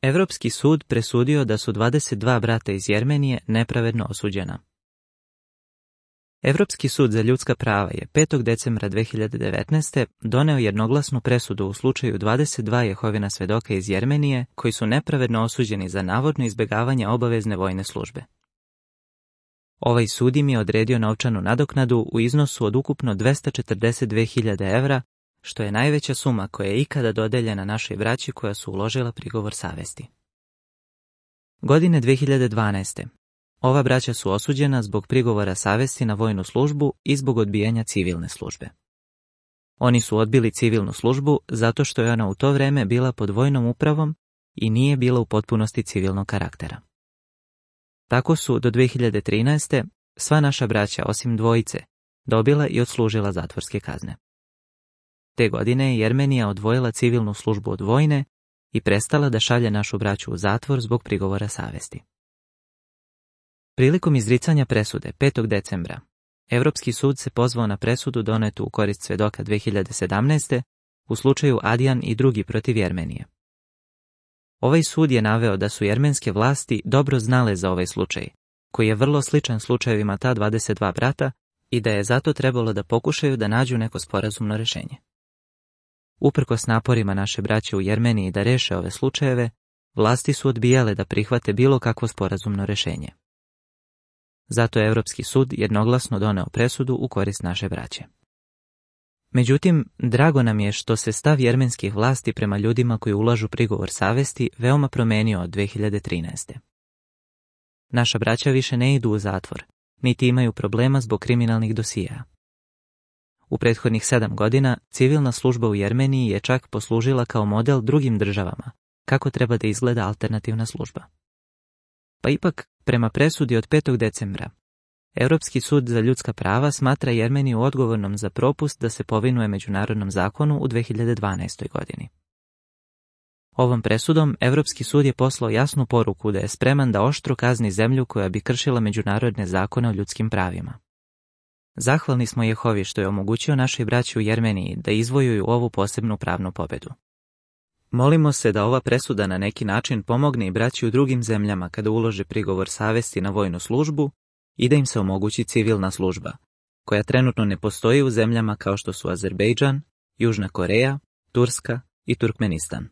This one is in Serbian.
Evropski sud presudio da su 22 brata iz Jermenije nepravedno osuđena. Evropski sud za ljudska prava je 5. decembra 2019. doneo jednoglasnu presudu u slučaju 22 Jehovina svedoka iz Jermenije koji su nepravedno osuđeni za navodno izbjegavanje obavezne vojne službe. Ovaj sud im je odredio novčanu nadoknadu u iznosu od ukupno 242.000 evra, što je najveća suma koja je ikada dodeljena našoj braći koja su uložila prigovor savesti. Godine 2012. Ova braća su osuđena zbog prigovora savesti na vojnu službu i zbog odbijanja civilne službe. Oni su odbili civilnu službu zato što je ona u to vreme bila pod vojnom upravom i nije bila u potpunosti civilnog karaktera. Tako su do 2013. sva naša braća, osim dvojice, dobila i odslužila zatvorske kazne. Te godine je Jermenija odvojila civilnu službu od vojne i prestala da šalje našu braću u zatvor zbog prigovora savesti. Prilikom izricanja presude 5. decembra, Evropski sud se pozvao na presudu donetu u korist svedoka 2017. u slučaju Adjan i drugi protiv Jermenije. Ovaj sud je naveo da su jermenske vlasti dobro znale za ovaj slučaj, koji je vrlo sličan slučajevima ta 22 brata i da je zato trebalo da pokušaju da nađu neko sporazumno rešenje. Uprkos naporima naše braće u Jermeniji da reše ove slučajeve, vlasti su odbijale da prihvate bilo kakvo sporazumno rešenje. Zato je Evropski sud jednoglasno doneo presudu u korist naše braće. Međutim, drago nam je što se stav jermenskih vlasti prema ljudima koji ulažu prigovor savesti veoma promenio od 2013. Naša braća više ne idu u zatvor, niti imaju problema zbog kriminalnih dosija. U prethodnih 7 godina civilna služba u Jermeniji je čak poslužila kao model drugim državama, kako treba da izgleda alternativna služba. Pa ipak, prema presudi od 5. decembra, Europski sud za ljudska prava smatra Jermeniju odgovornom za propust da se povinuje međunarodnom zakonu u 2012. godini. Ovom presudom Europski sud je poslao jasnu poruku da je spreman da oštro kazni zemlju koja bi kršila međunarodne zakone o ljudskim pravima. Zahvalni smo Jehovi što je omogućio našoj braći u Jermeniji da izvojuju ovu posebnu pravnu pobedu. Molimo se da ova presuda na neki način pomogne i braći u drugim zemljama kada ulože prigovor savesti na vojnu službu i da im se omogući civilna služba, koja trenutno ne postoji u zemljama kao što su Azerbejdžan, Južna Koreja, Turska i Turkmenistan.